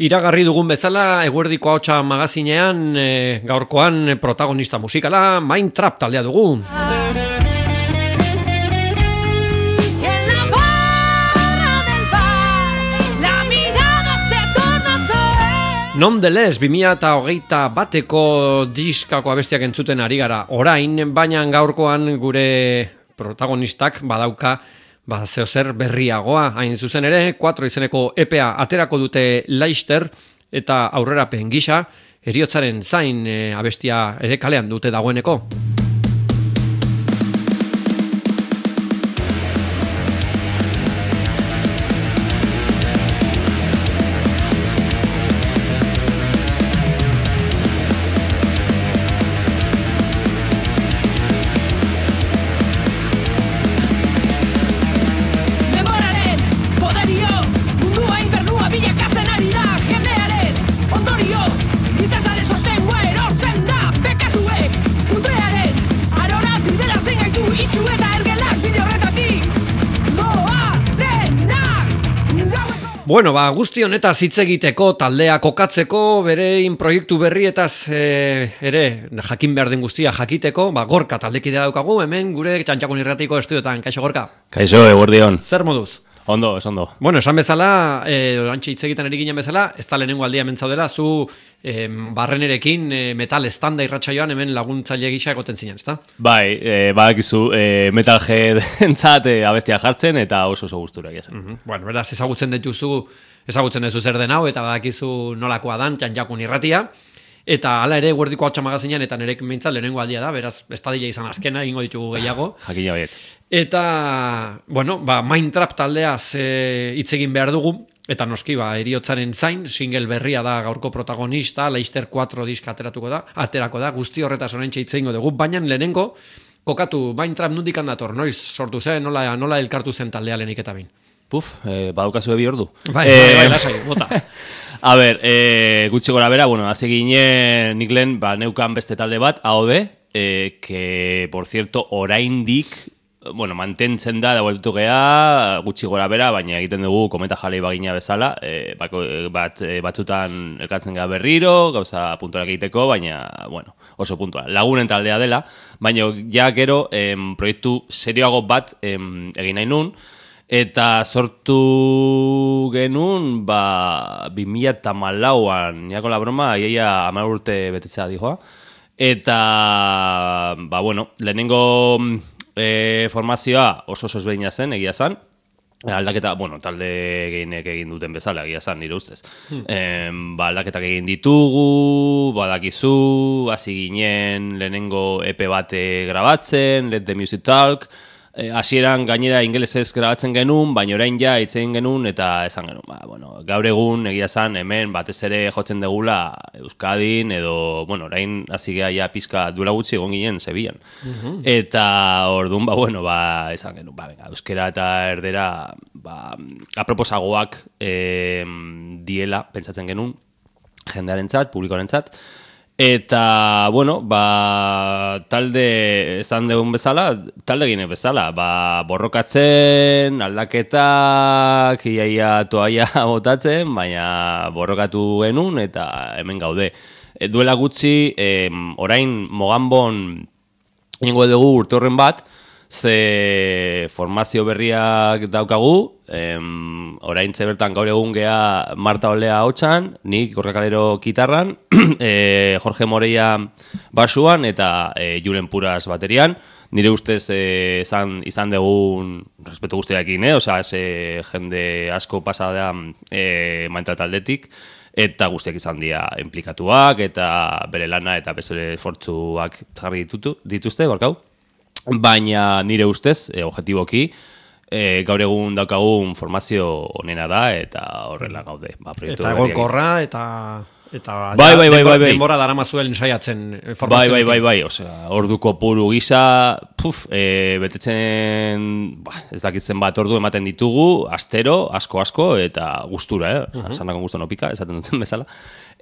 Iragarri dugun bezala, eguerdiko ahotsa magazinean, gaurkoan protagonista musikala, Mind Trap taldea dugu. Nonetheless, 2021ko diskako abestiak entzuten ari gara orain, baina gaurkoan gure protagonistak badauka zeozer berriagoa, hain zuzen ere, 4 izeneko EPA aterako dute Leicester eta aurrerapen gisa, heriotzaren zain abestia ere kalean dute dagoeneko. Bueno, guzti honetaz hitz egiteko, taldea kokatzeko, berein proiektu berrietaz ere jakin behar den guztia jakiteko, Gorka taldekidea daukagu, hemen gure Txantxakun Irratiko estudioetan. Kaixo, Gorka? Kaixo, eguerdion. Zer moduz? Ondo, ez ondo. Bueno, esan bezala, orantxe hitz egiten ari ginen bezala, ez da lehenengo aldia hemen zaudela, zu barrenerekin metal estanda irratsaioan hemen laguntzaile gisa egoten zinen, ezta? Bai, badakizu metalheadentzat abestia jartzen eta oso gustura egia. Bueno, beraz, ezagutzen duzu zer den hau, eta badakizu nolakoa dan Txantxakun Irratia. Eta hala ere, eguerdiko ahotsa magazinean, eta nerek mintzat lehenengo aldia da, beraz, estadila izan azkena, egingo ditugu gehiago. Jakina baiet. Eta, bueno, Mind Trap taldeaz hitz egin behar dugu, eta noski, heriotzaren zain, single berria da gaurko protagonista, Leicester 4 diska aterako da, guzti horretaz oraintxe hitz egingo dugu, baina lehenengo, kokatu, Mind Trap nondik handator, noiz sortu zen, nola elkartu zen taldea lehenik eta bain? Badukazu ebi ordu. Bai, lasai, bota. A ber, gutxi gora bera, hasi ginen nik lehen, neukan beste talde bat, AOD, que, por cierto, oraindik, mantentzen da, dagoeltutu geha, gutxi gora bera, baina egiten dugu kometa jalei bagina bezala, batzutan elkartzen gara berriro, gauza puntuak egiteko, baina, oso puntua. Lagunen taldea dela, baina ja gero proiektu serioago bat egin nahi nun, eta sortu genuen 2014an, niako la broma, iaia 10 urte betetzea dijoa. Eta, lehenengo formazioa oso ezberdina zen, egia zen. Aldaketa, talde gehienek egin duten bezala, egia zen, nire ustez. Aldaketak egin ditugu, badakizu, hasi ginen lehenengo EP bate grabatzen, Let the Music Talk. Hasieran gainera ingelesez grabatzen genuen, baina orain ja hitz egin genuen eta esan genuen. Gaur egun egia zan hemen batez ere jotzen degula Euskadin edo, orain hasi geha ja pizka duela gutxi egon ginen Sevillan. Eta orduan, esan genuen, euskera eta erdera aproposagoak diela, pentsatzen genuen, jendearentzat, publikoarentzat. Eta, talde esan dugun bezala, talde gine bezala, borrokatzen, aldaketak, iaia toaia botatzen, baina borrokatu genuen eta hemen gaude. Duela gutxi, orain Moganbon ingo dugu urtorren bat, ze formazio berriak daukagu, orain bertan gaur egun geha Marta Olea hotxan, nik Gorka Kalero kitarran, Jorge Moreia basuan eta Julen Puras baterian. Nire ustez izan dugun respeto guztiarekin, jende asko pasada Mind taldetik, eta guztiak izan dira implikatuak, eta bere lana eta bezere esfortzuak jarri dituzte, barkau. Baina nire ustez, objektiboki, gaur egun daukagun formazio onena da, eta horrela gaude. Eta egonkorra, eta denbora daramazuen saiatzen formazioa. Bai, orduko puru gisa, betetzen, ez dakitzen bat ordu ematen ditugu, astero, asko, eta gustura, sanako gustu nopika, esaten duten bezala.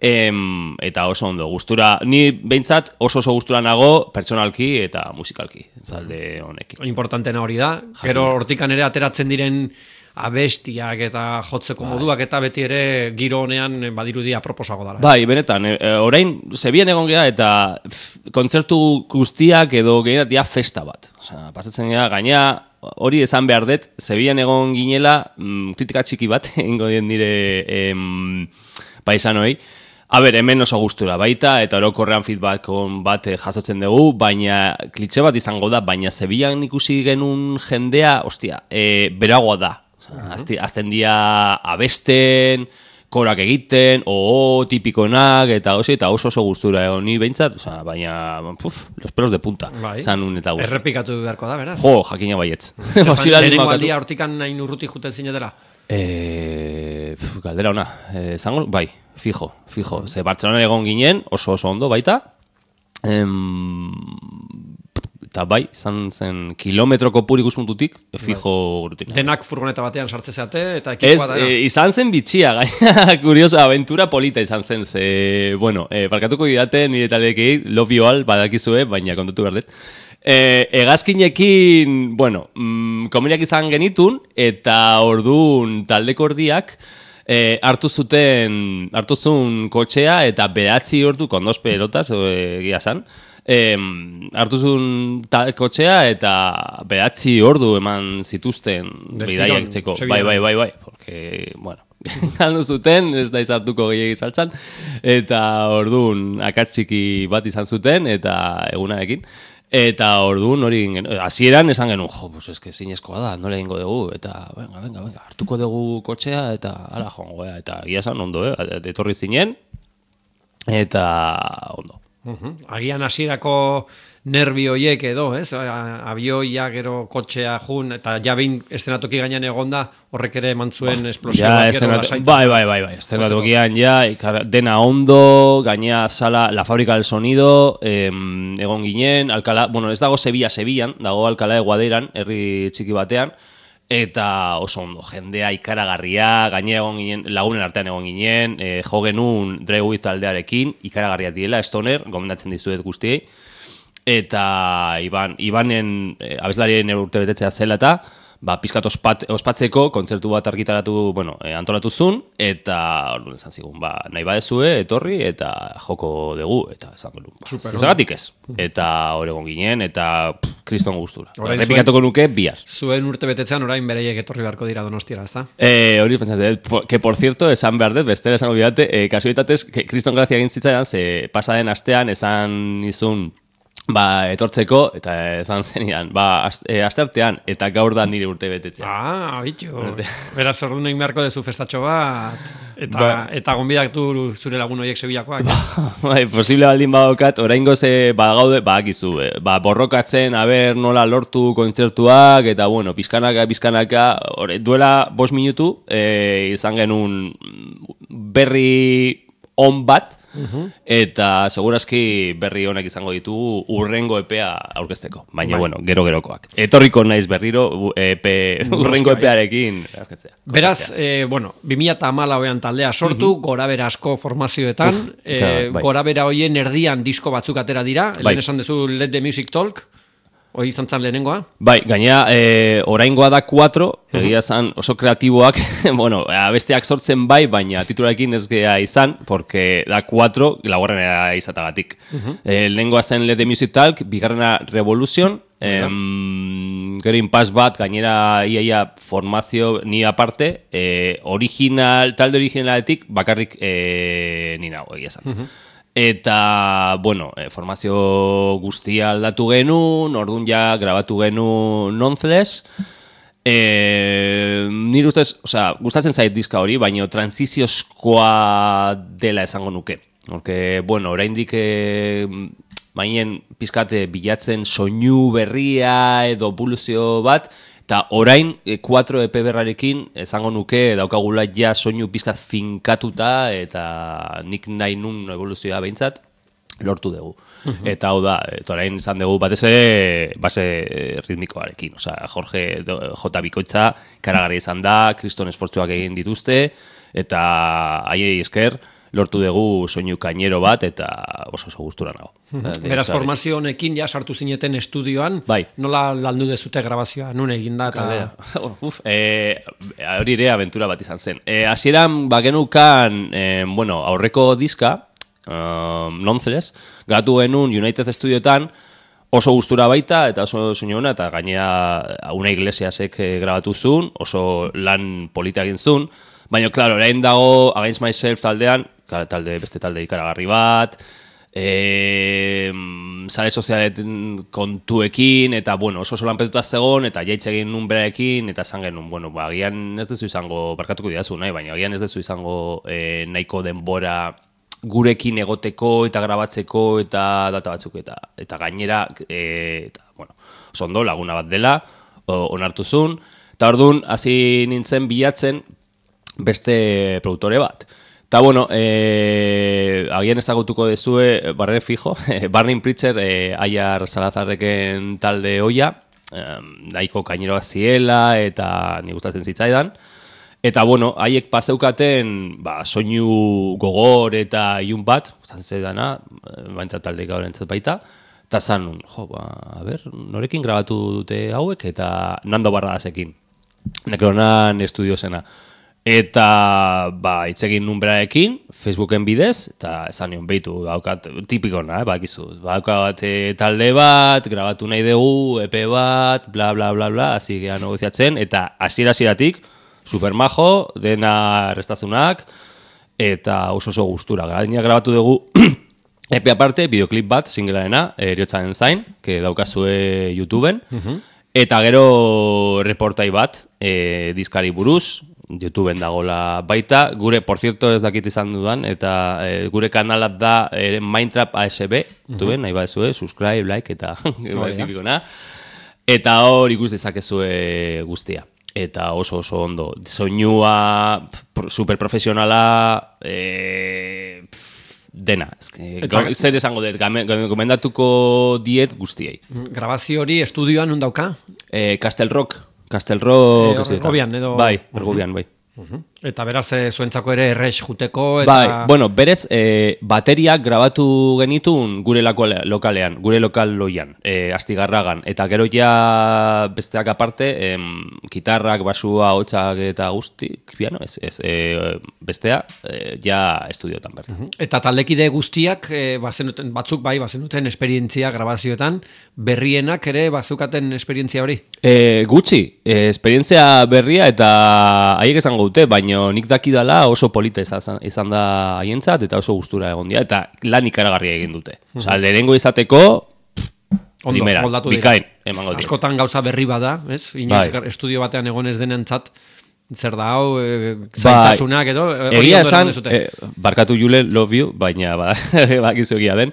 Eta oso ondo, gustura, ni behintzat oso gustura nago pertsonalki eta musikalki, zalde honekin. Importantena hori da, gero hortikan ere ateratzen diren abestiak eta jotzeko moduak eta beti ere giro honean badirudi aproposago dara. Bai, benetan, orain Zebian egon gea eta kontzertu guztiak edo gehienatia festa bat. Osea, pasatzen gea, gaina hori esan behar dut, Zebian egon ginela, kritika txiki bat, egingo dien nire paisanoei. Hemen oso gustura baita, eta orokorrean feedback bat jasotzen dugu, baina klitxe bat izango da, baina Zebian ikusi genuen jendea, ostia, beragoa da. Azten dia abesten, korak egiten, tipikonak, eta oso gustura egon ni behintzat, baina, los pelos de punta, zanun eta gustura. Errepikatu beharko da, beraz? Jakina baietz. Lehenengo aldia hortikan nahi urruti juten zinetela? Galdera ona, zango, bai, fijo. Ze Bartzelona egon ginen, oso ondo baita, eta bai, izan zen kilometro kopur ikuspuntutik, fijo rutina. Denak furgoneta batean sartze zeate, eta ekipoa da. Izan zen bitxia, gaina, kurioso, aventura polita izan zen, ze, barkatuko idate, nire taldeekei, love you all, badakizue, baina kontatu behar dut. Hegazkinekin, komeniak izan genitun, eta orduan taldeko ordiak hartu zuen kotxea, eta 9 ordu, kondoz pelotaz, egia zan, hartu zuen kotxea, eta 9 ordu eman zituzten bidaiak txeko. Bai, porque, galdu zuten, ez da izartuko gehiagi saltzan, eta orduan akats txiki bat izan zuten, eta egunarekin. Eta orduan hori hasieran esan genuen, eske zinezkoa da, nola egingo dugu, eta venga, hartuko dugu kotxea, eta ala joango, eta egia esan ondo, etorri zinen, eta ondo. Agian hasierako nervi hoiek edo, ez? Abioia, gero kotxea jun, eta ja behin estenatoki gainean egonda, horrek ere eman zuen esplosio bat gero lasaitu. Bai, estenatokian dena ondo, gainea sala, la fábrica del sonido, egon ginen, ez dago Sevillan, dago Alcalá de Guadairan, herri txiki batean, eta oso ondo, jendea ikaragarria, gainea egon ginen, lagunen artean egon ginen, jo genuen Dre With taldearekin, ikaragarria diela, Stoner, gomendatzen dizuet guztiei, eta Ibanen abeslarien urte betetzea zela eta pizkat ospatzeko kontzertu bat argitaratu, antolatu zuen, eta orduan esan zigun, nahi badezue, etorri, eta joko dugu, eta esan genuen, zagatik ez. Eta hor egon ginen, eta kriston gustura. Repikatuko nuke, bihar. Zuen urte betetzean orain bereiek etorri beharko dira Donostiara, ez da? Hori pentsatzen, que por cierto, esan behar dut, bestera esango bidate, kasualitatez, kriston grazia egin zitzaidan, ze pasaden astean esan izun, etortzeko, eta esan zenidan, asteartean, eta gaur da nire urte betetzea. Bitu. Beraz, orduan egin beharko dezu festatxo bat, eta gonbidatu zure lagun horiek Sevillakoak. Posible baldin badokat, oraingo ze badagaude, badakizu, borrokatzen, nola lortu kontzertuak, eta pizkanaka, duela 5 minutu, izan genuen berri on bat, eta segurazki berri honek izango ditugu urrengo epea aurkezteko, baina gero-gerokoak. Etorriko naiz berriro urrengo epearekin askatzea. Beraz, 2014an taldea sortu, gorabera asko formazioetan, gorabera hoien erdian disko batzuk atera dira, lehen esan duzu Let the Music Talk, hori izan zan lehenengoa? Bai, gaina oraingoa da 4, egia zan oso kreatiboak, abesteak sortzen baina titularekin ez gea izan, porque da 4, laugarrenera izatagatik. Lehenengoa zen Let the Music Talk, bigarrena Revolution, gero Impasse bat, gainera iaia formazio ni aparte, talde originaletik bakarrik ni nago, egia zan. Eta, formazio guztia aldatu genuen, orduan ja grabatu genuen Nonetheless. Nire ustez, gustatzen zait diska hori, baina transiziozkoa dela esango nuke. Oraindik bainen pizkate bilatzen soinu berria edo evoluzio bat, eta orain 4 EP berrarekin esango nuke daukagula ja soinu pizkat finkatuta, eta nik nahi nun evoluzioa behintzat lortu dugu. Eta hau da, orain izan dugu batez base ritmikoarekin. Jorge J. Bikoitza karagarri izan da, kriston esfortzuak egin dituzte, eta haiei esker, lortu dugu soinu kainero bat, eta oso gustura nago. Beraz, formazio honekin ja sartu zineten estudioan, bai. Nola landu dezute grabazioa, nun eginda eta... Hori ere aventura bat izan zen. Hasieran bagenukan, aurreko diska, Nonetheless, grabatu genuen United Studioetan, oso gustura baita, eta oso soinu ona, eta gainera Una Iglesiasek grabatu zuen, oso lan polita egin zuen, baina, klaro, orain dago Against Myself taldean, beste talde ikaragarri bat, sare sozialetan kontuekin, eta, oso lanpetuta zegoen, eta jaitz egin nun beraekin, eta esan genuen, agian ez dezu izango, barkatuko didazu, baina agian ez dezu izango nahiko denbora gurekin egoteko eta grabatzeko eta data batzuk eta gainera oso ondo laguna bat dela onartu zuen eta orduan hasi nintzen bilatzen beste produktore bat eta agian ezagutuko dezue barre fijo Burning Preacher Aiar Salazarreken talde hoia nahiko kaineroak ziela eta ni gustatzen zitzaidan. Eta, haiek paseukaten soinu gogor eta ilun bat, zantzedana, baina talde gaurentzat baita, eta zan nun, norekin grabatu dute hauek, eta Nando Barradasekin, Nekronan estudio zena. Eta, itzegin nun beraekin, Facebooken bidez, eta esan nion behitu, tipikona, daukat talde bat, grabatu nahi dugu, EP bat, bla, bla, bla, bla, hasi geha negoziatzen, eta hasieratik supermajo, dena restazunak, eta oso gustura. Gaina grabatu dugu epe aparte, videoklip bat, singlearena, Eriotzaren zain, que daukazue YouTubeen, eta gero reportai bat, diskari buruz, YouTubeen dagola baita, gure, por cierto, ez dakit izan dudan, eta gure kanalat da Mindtrap ASB, YouTubeen, nahi badezue, subscribe, like, eta tipikona, eta hor ikus dezakezue guztia. Eta oso ondo. Soinua superprofesionala dena. Zer esango dut, gomendatuko diet guztiei. Grabazio hori estudioan nun dauka? Castle Rock. Ergobian, edo... Bai, Ergobian, bai. Eta beraz, zuentzako ere errex juteko eta... Bai, berez, bateriak grabatu genitun gure lokalean, gure lokal loian, Astigarragan. Eta gero ja besteak aparte, gitarrak, basua, hotxak eta guztik, piano, bestea, ja estudiotan bertan. Eta taldekide guztiak, batzuk bai, bazenuten esperientzia grabazioetan, berrienak ere bazukaten esperientzia hori? Gutxi, esperientzia berria eta haiek esango dute, baina nik dakidala oso polita izan da haientzat eta oso gustura egon dira, eta lan ikaragarria egin dute. Osa, lehenengo izateko, primera, bikain, emango dira. Askotan gauza berri bada, ez? Inoiz estudio batean egon ez denentzat, zer da hau, zaitasunak edo... Egia esan, barkatu Julen, love you, baina bakizu egia den.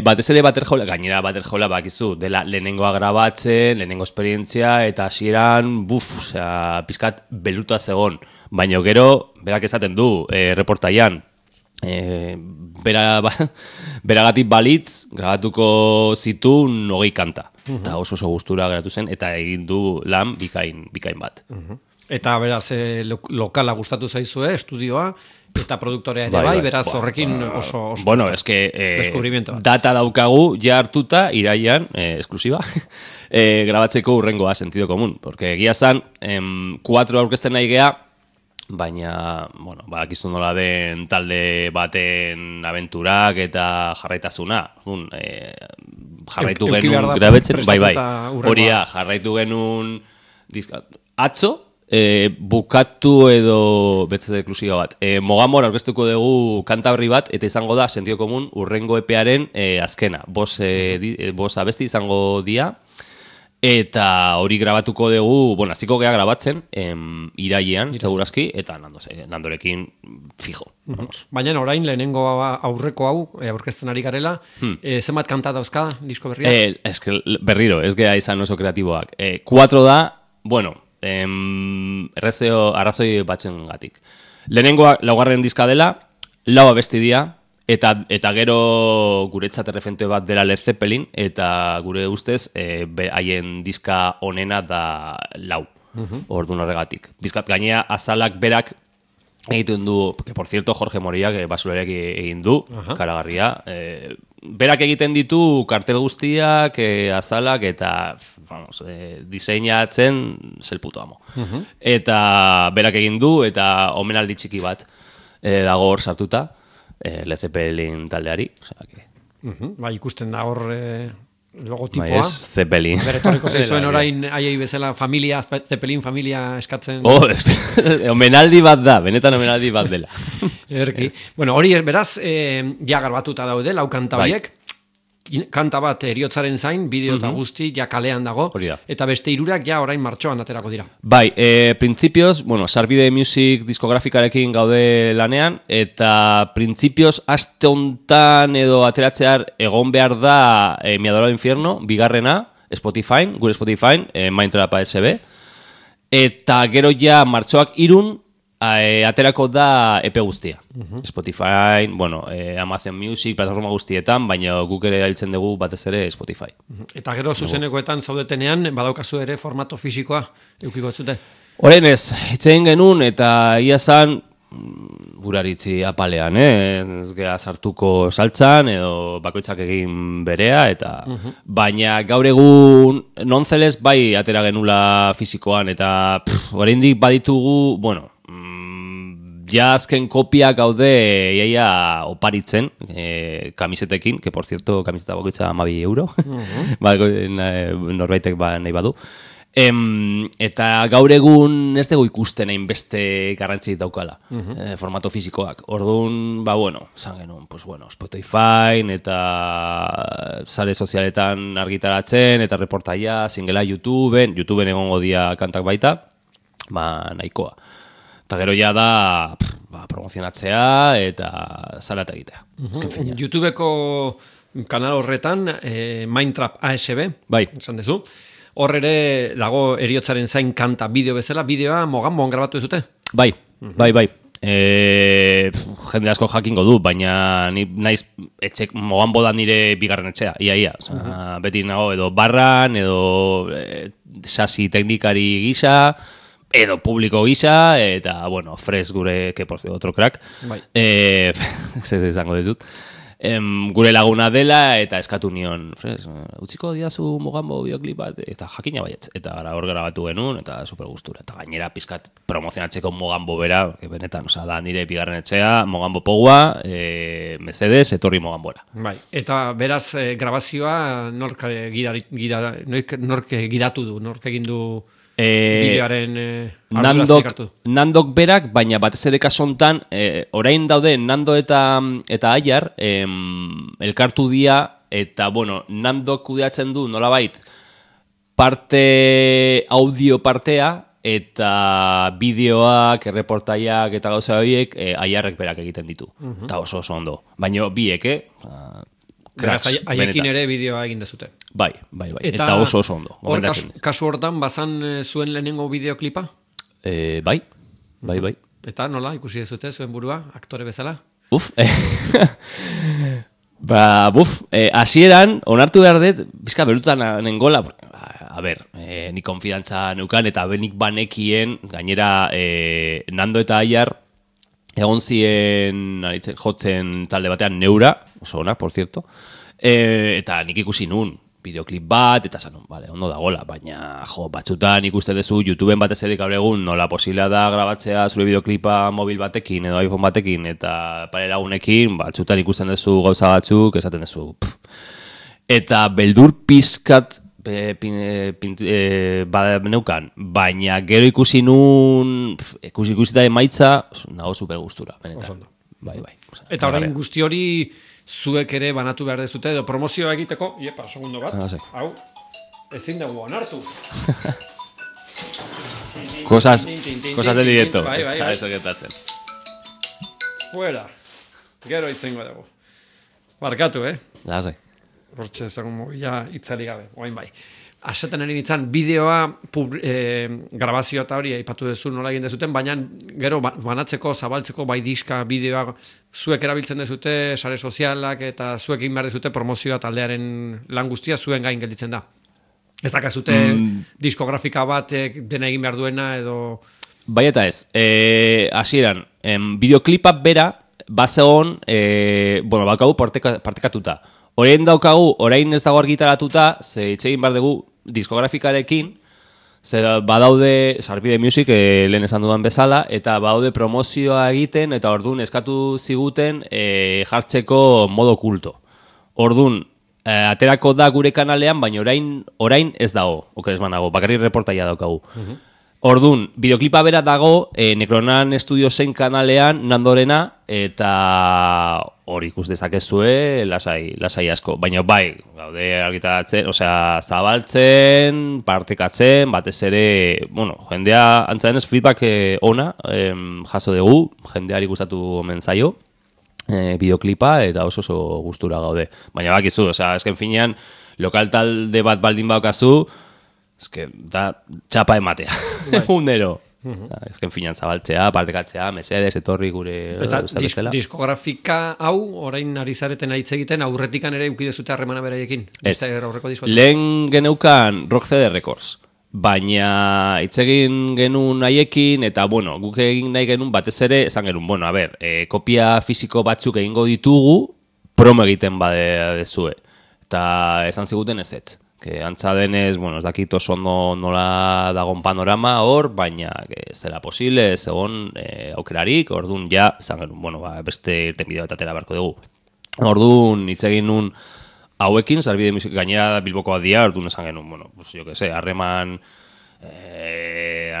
Batez ere Baterjola, gainera Baterjola bakizu, dela lehenengoa grabatzen, lehenengo esperientzia, eta hasieran pizkat beluta zegon. Baina gero, berak esaten du, reportaian, beragatik balitz, grabatuko zitun 20 kanta. Eta oso gustura geratu zen, eta egin du lan bikain bat. Eta beraz, lokala gustatu zaizue, estudioa, eta produktorea ere bai, beraz horrekin oso bueno, eske data daukagu ja hartuta iraian, esklusiba, grabatzeko urrengoa sentido komun, porque egia zan, 4 aurkezten nahi gea, baina, bakizu nola den talde baten abenturak eta jarraitasuna, jarraitu genuen grabetzen, bai, horia, jarraitu genuen atzo, bukatu edo betzat eklusiba bat. Mogamor aurkeztuko dugu kantabri bat, eta izango da, sentido komun, urrengo epearen azkena. Bos abesti izango dia, eta hori grabatuko dugu, hasiko gea grabatzen, irailean, segurazki, eta Nandorekin fijo. Baina orain, lehenengo aurreko hau, aurkezten ari garela, zenbat kanta dauzka, disko berria? Berriro, ez gea izan oso kreatiboak. 4 da, errezeo arrazoi batzen gatik. Lehenengoa laugarren diska dela, 4 abesti dira, eta gero guretzat erreferente bat dela Led Zeppelin, eta gure ustez haien diska onena da 4. Orduan horregatik. Bizkat gainea azalak berak egiten du, que por cierto Jorge Moriak basulariak egin du, karagarria. Berak egiten ditu kartel guztiak, azalak eta vamos, diseinatzen zel puto amo. Eta berak egin du eta omenaldi txiki bat dago hor sartuta, Led Zeppelin taldeari. O sea, que... Bai, ikusten da hor logotipoa. Bai, ez Zeppelin. Beretorriko zaizuen orain aiei bezala familia, Zeppelin familia eskatzen. Omenaldi bat da, benetan omenaldi bat dela. Erki. Bueno, hori beraz, ja garbatuta daude, lau kanta horiek. Kanta bat eriotzaren zain, bideo eta guzti, ja kalean dago. Eta beste hirurak ja orain martxoan aterako dira. Bai, printzipioz, bueno, Sarbide Music diskografikarekin gaude lanean, eta printzipioz aste hontan edo ateratzear egon behar da Mi Adorado Infierno, bigarrena, Spotify, gure Spotify, Mindtrap ASB, eta gero ja martxoak 3 aterako da EP guztia. Spotify, bueno, Amazon Music, plataforma guztietan, baina guk ere erabiltzen dugu batez ere Spotify. Eta gero zuzenekoetan zaudetenean, badaukazu ere formato fisikoa, eukiko zute? Horren ez, itzein genuen eta ia zan, guraritzi apalean, ez geha sartuko saltzan, edo bakoitzak egin berea, eta baina gaur egun nonzeles bai atera genula fisikoan, eta oraindik baditugu, bueno, ja azken kopiak gaude iaia oparitzen kamisetekin, que por cierto kamiseta bakoitza 12 euro, norbaitek nahi badu. Eta gaur egun ez dugu ikusten hainbeste garrantzi daukala, formato fisikoak. Orduan, bueno, zan genuen, pues bueno, Spotify eta sare sozialetan argitaratzen, eta reportaia, singela YouTubeen egongo dia kantak baita, nahikoa. Eta gero ja da promozionatzea eta salata egitea. YouTubeko kanal horretan, Mindtrap ASB, esan dezu. Hor ere dago eriotzaren zain kanta bideo bezala, bideoa Moganboan grabatu dezute? Bai. Jende asko jakingo du, baina naiz Moganbo da nire bigarren etxea, ia. Beti nago edo barran, edo sasi teknikari gisa, edo publiko gisa, eta, bueno, Fres gure, que por cierto, otro crack. Ez izango dizut. Gure laguna dela, eta eskatu nion, Fres, utziko diazu Moganbo bideoklip bat, eta jakina baietz. Eta gara hor grabatu genuen, eta super gustura. Eta gainera pizkat promozionatzeko Moganbo bera, benetan, da nire bigarren etxea, Moganbo Pogua, Mercedes, etorri Moganbora. Bai, eta beraz, grabazioa nork gidatu du, nork egin du... bideoaren Nandok berak, baina batez ere kasontan, orain daude Nando eta Aiar elkartu dia, eta bueno, Nandok kudeatzen du nolabait parte audio partea, eta bideoak, erreportaiak eta gauza horiek Aiarrek berak egiten ditu. Eta oso ondo. Baina biek, haiekin ere bideoa egin dezute. Bai. Eta oso ondo. Hor kasu hortan bazan zuen lehenengo bideoklipa? Bai. Eta nola ikusi dezute zuen burua, aktore bezala? Hasieran, onartu behar dut, bizka berutan nengola, ni konfidantza neukan, eta benik banekien, gainera Nando eta Aiar, egon ziren jotzen talde batean neura, oso ona, por cierto, eta nik ikusi nun, bideoklip bat, eta zanun, ondo dagoela, baina batzutan ikusten duzu YouTubeen batez ere gaur egun nola posiblea da grabatzea zure bideoklipa mobil batekin edo iPhone batekin eta pare lagunekin, batzutan ikusten duzu gauza batzuk, esaten duzu. Eta beldur pizkat neukan, baina gero ikusi nun, ikusi da emaitza, nago super gustura, benetan. Bai. Eta orain guzti hori zuek ere banatu behar dezute, edo promozioa egiteko, segundo bat, hau, ezin dugu onartu. Cosas del directo. Bai. Eso gertatzen. Fuera. Gero itzengo dugu. Barkatu, Lasai. Hortxe ezagun mobila itzali gabe, oain bai. Asetan erin itzan, bideoa grabazioa eta hori aipatu dezu nola egin dezuten, baina gero banatzeko, zabaltzeko bai diska, bideoa zuek erabiltzen dezute, sare sozialak eta zuek egin behar dezute promozioa taldearen lan guztia zuen gain gelditzen da. Ez dakazute diskografika bat dena egin behar duena edo... bai eta ez. Hasieran, bideoklipa bera, bazegon, bakau partekatuta. Orain ez dago argitaratuta, ze itxegin behar dugu diskografikarekin, ze badaude, Sarbide Music, lehen esan dudan bezala, eta badaude promozioa egiten, eta orduan eskatu ziguten jartzeko modo kulto. Orduan, aterako da gure kanalean, baina orain ez dago, okeres banago, bakarrik reportaia daukagu. Orduan, bideoklipa bera dago, Necronan Studiosen kanalean, Nandorena, eta hori ikus dezakezue, lasai asko. Baina bai, gaude argitaratzen, zabaltzen, partekatzen, batez ere, jendea, antzadenez, feedback ona, jaso dugu, jendeari gustatu omen zaio, bideoklipa, eta oso gustura gaude. Baina bakizu, esken finean, lokal talde bat baldin baukazu, da txapa ematea, unero. Ezken finan zabaltzea, partekatzea, mesedes, etorri gure... Eta diskografika hau, orain ari zareten hitz egiten, aurretikan ere eukidezute harremana beraiekin? Ez, lehen geneukan Rock CD Records, baina hitz egin genuen haiekin, eta guk egin nahi genuen batez ere, esan genuen, kopia fisiko batzuk egingo ditugu, promo egiten badezue, eta esan ziguten ez. Antza denez, ez dakit oso ondo nola dagon panorama hor, baina zela posible, segon aukerarik, orduan ja, esan genuen, beste irten bideo eta tera beharko dugu. Orduan, hitz egin nun hauekin, Sarbide Music gainera Bilbokoa dia, orduan esan genuen, harreman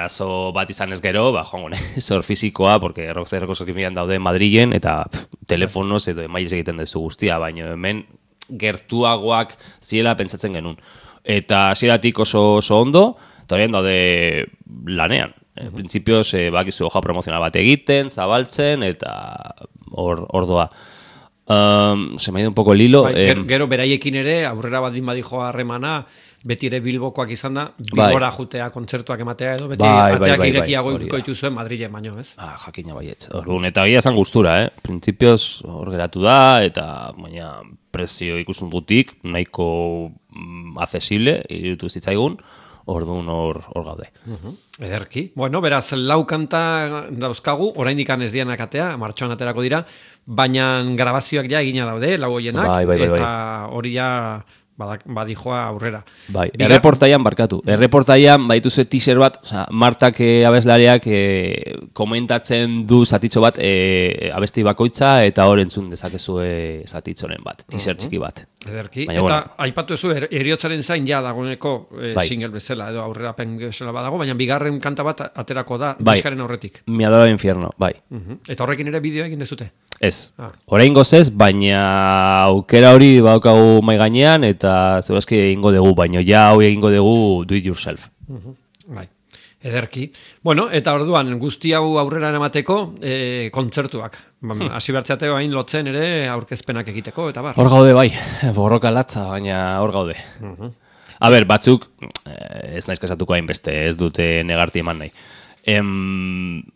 azo bat izan ez gero, joango zor fizikoa, porque Rock CD Records daude Madrilen, eta telefonoz edo emaiz egiten duzu guztia, baina hemen gertuagoak ziela pentsatzen genuen. Eta hasieratik oso ondo, eta horien daude lanean. Printzipioz, bakizu hoja promozional bat egiten, zabaltzen, eta ordoa. Se me ha ido un poco el hilo. Gero beraiekin ere, aurrera baldin badijo harremana, beti ere Bilbokoak izan da, Bilbora jutea kontzertuak ematea edo, beti ateak irekiago ikuko dituzuen Madrilen baino, ez? Jakina baietz. Orduan, eta gira esan gustura, Printzipioz hor geratu da, eta baina prezio ikusten dutik, nahiko accesible, irutu zitzaigun, orduan hor gaude. Ederki. Bueno, beraz, lau kanta dauzkagu, oraindik ez dianak atea, martxoan aterako dira, baina grabazioak ja egina daude, lau hoienak, eta hori ja badijoa aurrera. Erreportaian barkatu. Erreportaian baituzu teaser bat, Martak abeslariak komentatzen du zatitxo bat abesti bakoitza, eta hor entzun dezakezue zatitzoren bat, teaser txiki bat. Ederki. Eta aipatu ezu, Heriotzaren zain ja dagoeneko single bezala, edo aurrerapen bezala badago, baina bigarren kanta bat aterako da diskaren aurretik. Mi adora infierno, bai. Eta horrekin ere bideoa egin dezute? Ez. Oraingoz ez, baina aukera hori badaukagu mai gainean, eta segurazki egingo dugu, baina ja hau egingo dugu do it yourself. Bai. Ederki. Bueno, eta orduan guzti hau aurrera eramateko kontzertuak. Hasi bertzeateo hain lotzen ere aurkezpenak egiteko, eta bar. Hor gaude bai, borroka latza, baina hor gaude. Batzuk, ez naiz kasatuko hainbeste, ez dute negarti eman nahi.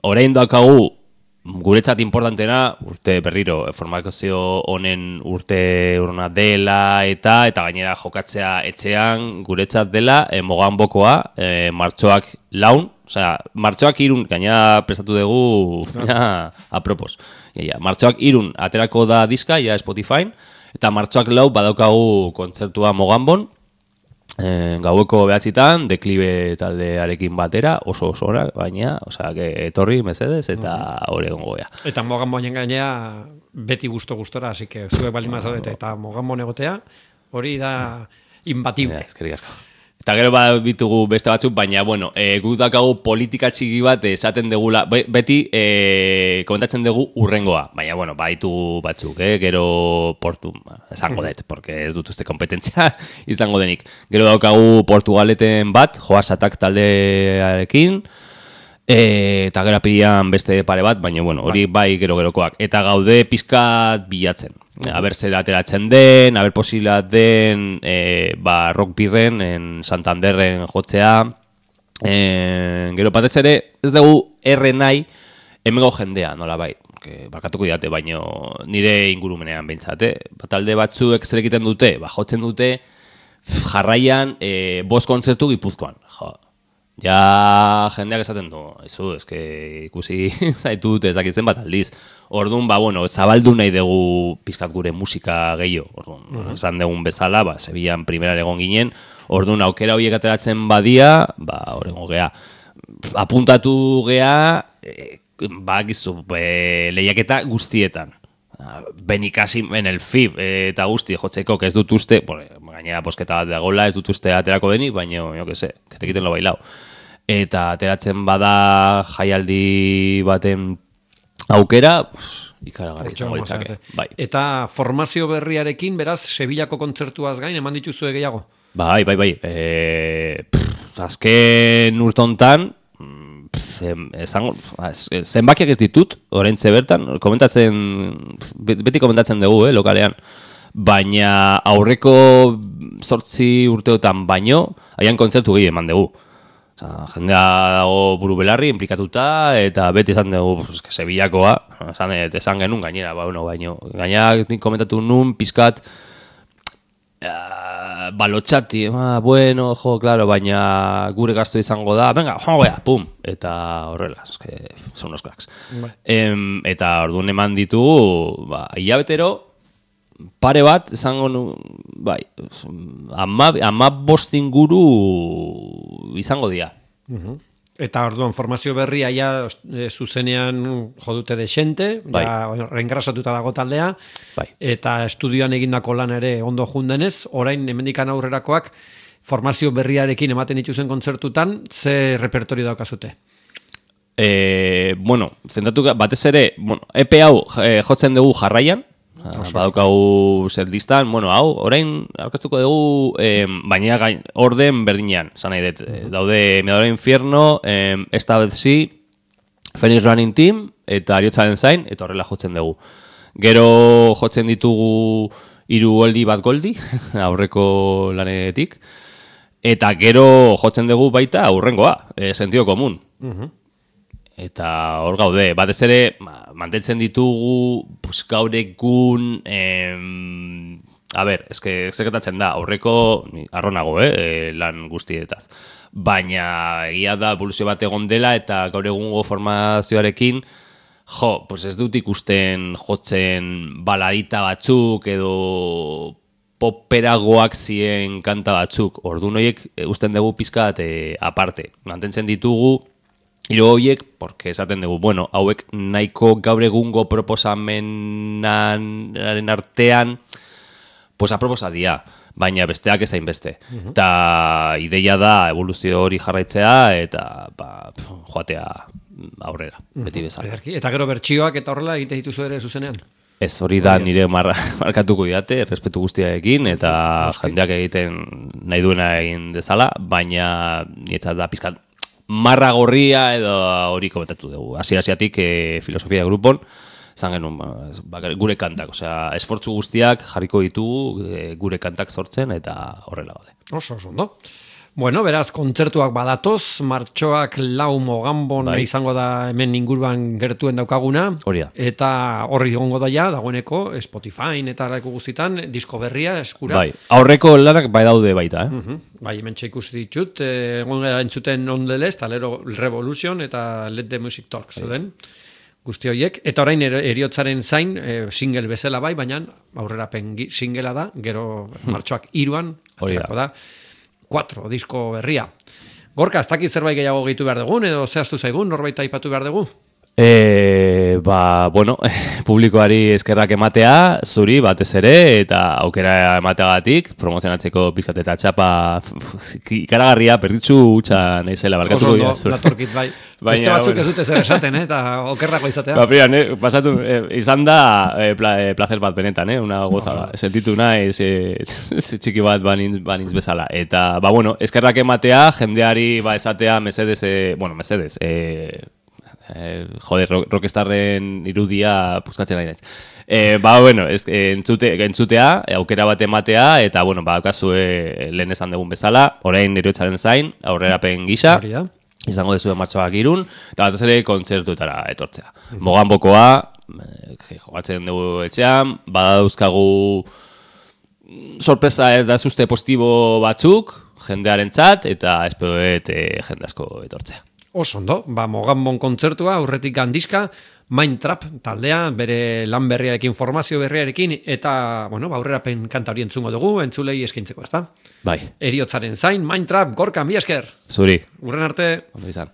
Orain daukagu, guretzat importantena, urte berriro, formazio honen urte urna dela eta gainera jokatzea etxean guretzat dela, Moganbokoa, martxoak laun, martxoak irun, gainera prestatu dugu, apropos. Martxoak irun aterako da diska, Spotify, eta martxoak lau badaukagu kontzertua Moganbon, gaueko behatzitan, deklibe taldearekin batera, oso ora, baina, etorri, mesedez, eta hori egongo gea. Eta Moganbonen gainea beti gustora, así que zuek baldin mazaudete, eta Moganbon egotea, hori da imbatible. Eskerrik asko. Eta gero bitugu beste batzuk, baina, guk dakagu politika txiki bat esaten degula, beti komentatzen dugu urrengoa, baina, baditu batzuk, gero portu, esango dut, porque ez dut uste kompetentzia izango denik. Gero daukagu Portugaleten bat, Joasatak taldearekin, eta gero apirian beste pare bat, baina, hori bai gero-gerokoak. Eta gaude pizkat bilatzen. Aber zer ateratzen den, aber posila den Rock Birren, Santanderren jotzea. Gero batez ere, ez dugu nahi hemengo jendea, nola bai. Barkatuko diate, baina nire ingurumenean behintzat. Talde batzuek zer egiten dute, jotzen dute jarraian 5 kontzertu Gipuzkoan. Ja jendeak esaten du, eske ikusi zaitut ez dakitzen bat aldiz. Orduan, zabaldu nahi dugu pizkat gure musika gehiago. Orduan, esan dugun bezala, Sevillan primeran egon ginen, orduan aukera horiek ateratzen badia, horrengo gea. Apuntatu gea, lehiaketa guztietan. Benikasi en el FIB eta guzti jotzeko, ez dut uste, gainera posketa bat dagoela, ez dut uste aterako denik, baina, jo que se, que te quiten lo bailao. Eta ateratzen bada jaialdi baten aukera, ikaragarri izango ditzake. Bai. Eta formazio berriarekin, beraz, Sevillako kontzertuaz gain, eman dituzue gehiago? Bai. Azken urtontan, zenbakiak ez ditut, oraintze bertan, beti komentatzen dugu, lokalean, baina aurreko 8 urteotan baino, haian kontzertu gehi eman dugu. Jendea dago buru belarri, implikatuta, eta beti esan dugu, Sevillakoa, esan genuen gainera, baino, gainera komentatu nun, pizkat, balotxati, claro, baina gure gastu izango da, venga, joango gea, pum, eta horrela, son unos cracks. Eta orduan eman ditugu, hilabetero, pare bat, izango nu, ama inguru izango dira. Eta orduan formazio berria ja zuzenean jodute desente, reengrasatuta dago taldea, eta estudioan egindako lan ere ondo jundenez, orain hemendikan aurrerakoak formazio berriarekin ematen dituzen kontzertutan, ze repertorio daukazute? Zentatu batez ere, EP hau jotzen dugu jarraian, badaukagu setlistan, hau, orain aurkeztuko dugu, baina orden berdinean, zan nahi dut, daude Mirador Infierno, Esta vez sí, Phoenix Running Team, eta Ariotzaren zain, eta horrela jotzen dugu. Gero jotzen ditugu 3 goldi bat goldi, aurreko lanetik, eta gero jotzen dugu baita aurrengoa, sentido komun. Eta hor gaude, batez ere, mantentzen ditugu, gaur egun, zekatatzen da, aurreko, arronago, lan guztietaz. Baina, egia da, evoluzio bat egon dela, eta gaur egungo formazioarekin, ez dut ikusten jotzen baladita batzuk, edo poperagoak ziren kanta batzuk, orduan horiek usten dugu pizkat aparte. Mantentzen ditugu, Hiru horiek, porque esaten dugu, hauek nahiko gaur egungo proposamenaren artean, aproposa dira, baina besteak ezain beste. Eta ideia da evoluzio hori jarraitzea, eta joatea aurrera, beti bezala. Eta gero bertsioak eta horrela egite dituzu ere zuzenean? Ez, hori da nire markatuko didate, respetu guztiarekin, eta jendeak egiten nahi duena egin dezala, baina nietzat da pizkat marra gorria edo hori komentatu dugu. Hasieratik filosofia grupon, zan genuen gure kantak, esfortzu guztiak jarriko ditugu gure kantak sortzen eta horrela gaude. Oso, ondo. Bueno, beraz, kontzertuak badatoz, martxoak 4 Mogambon izango da hemen inguruan gertuen daukaguna. Hori da. Eta horri egongo da ja, dagoeneko, Spotify eta leku guztitan, disko berria eskura. Aurreko lanak daude baita, Hemen ikusi ditut, egon gara entzuten On The List, Talero Revolution eta Let The Music Talk, zuden, guzti horiek. Eta orain Heriotzaren zain, single bezala baina aurrerapen singlea da, gero martxoak 3 aterako da. 4 disko berria. Gorka, ez dakit zerbait gehiago gehitu behar dugun, edo zehaztu zaigun, norbait aipatu behar dugu? Publikoari eskerrak ematea, zuri batez ere, eta aukera emateagatik, promozionatzeko pizkat eta txapa ikaragarria, perditzu hutsa nahizela, barkatuko dira. Oso ondo, natorkit, bai. Beste batzuk ez dute zer esaten, eta okerrako izatea. Pasatu, izan da placer bat benetan, una gozada. Sentitu nahi, txiki bat banintz bezala. Eta, eskerrak ematea, jendeari esatea mesedez, rockstarren irudia puzkatzen ari naiz. Entzutea, aukera bat ematea, eta, badakazue lehen esan dugun bezala, orain Heriotzaren zain, aurrerapen gisa, izango dezue martxoak 3, eta batez ere kontzertuetara etortzea. Mogambokoa, jogatzen dugu etxean, badauzkagu sorpresa ez da zuzte positibo batzuk, jendearentzat eta espero jende asko etortzea. Oso ondo, Moganbon kontzertua, aurretik gandiska, Mindtrap taldea, bere lan berriarekin, formazio berriarekin, eta, aurrerapen kanta hori entzungo dugu, entzulei eskaintzeko, ezta? Bai. Heriotzaren zain, Mindtrap, Gorka, mila esker. Zuri. Urren arte. Ondo izan.